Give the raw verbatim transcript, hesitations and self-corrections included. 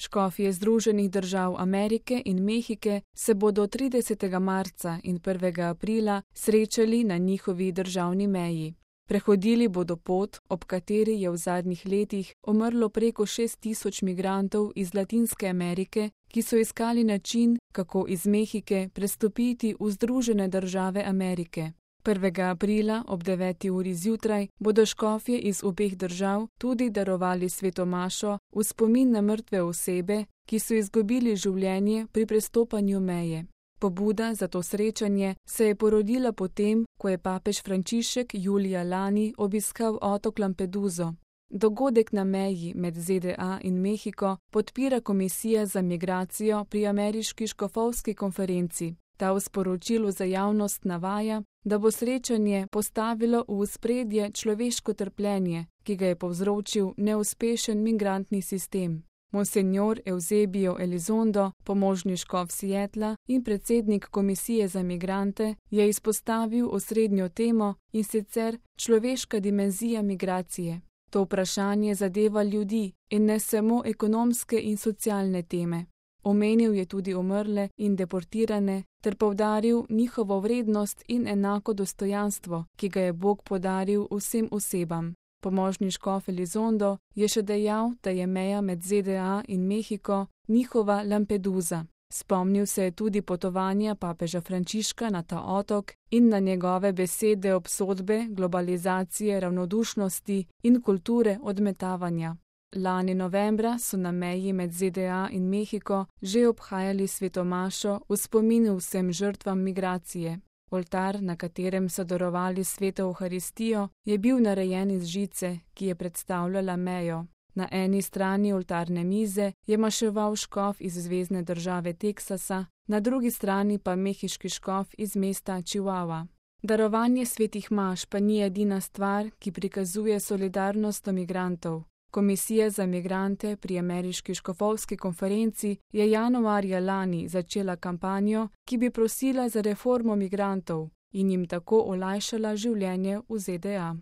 Škofje Združenih držav Amerike in Mehike se bodo tridesetega marca in prvega aprila srečali na njihovi državni meji. Prehodili bodo pot, ob kateri je v zadnjih letih umrlo preko šest tisoč migrantov iz Latinske Amerike, ki so iskali način, kako iz Mehike prestopiti v Združene države Amerike. prvega aprila ob deveti uri zjutraj bodo škofje iz obeh držav tudi darovali sveto mašo v spomin na mrtve osebe, ki so izgubili življenje pri prestopanju meje. Pobuda za to srečanje se je porodila potem, ko je papež Frančišek julija lani obiskal otok Lampeduso. Dogodek na meji med Z D A in Mehiko podpira Komisija za migracijo pri ameriški škofovski konferenci. Ta v sporočilu za javnost navaja, da bo srečanje postavilo v ospredje človeško trpljenje, ki ga je povzročil neuspešen migrantni sistem. Monsenjor Eusebio Elizondo, pomožni škof Seattla in predsednik Komisije za migrante, je izpostavil osrednjo temo, in sicer človeška dimenzija migracije. To vprašanje zadeva ljudi in ne samo ekonomske in socialne teme. Omenil je tudi umrle in deportirane ter poudaril njihovo vrednost in enako dostojanstvo, ki ga je Bog podaril vsem osebam. Pomožni škof Elizondo je še dejal, da je meja med Z D A in Mehiko njihova Lampedusa. Spomnil se je tudi potovanja papeža Frančiška na ta otok in na njegove besede obsodbe globalizacije, ravnodušnosti in kulture odmetavanja. Lani novembra so na meji med Z D A in Mehiko že obhajali sveto mašo v spomin vsem žrtvam migracije. Oltar, na katerem so darovali sveto Evharistijo, je bil narejen iz žice, ki je predstavljala mejo. Na eni strani oltarne mize je maševal škof iz zvezne države Teksasa, na drugi strani pa mehiški škof iz mesta Chihuahua. Darovanje svetih maš pa ni edina stvar, ki prikazuje solidarnost do migrantov. Komisija za migrante pri ameriški škofovski konferenci je januarja lani začela kampanjo, ki bi prosila za reformo migrantov in jim tako olajšala življenje v Z D A.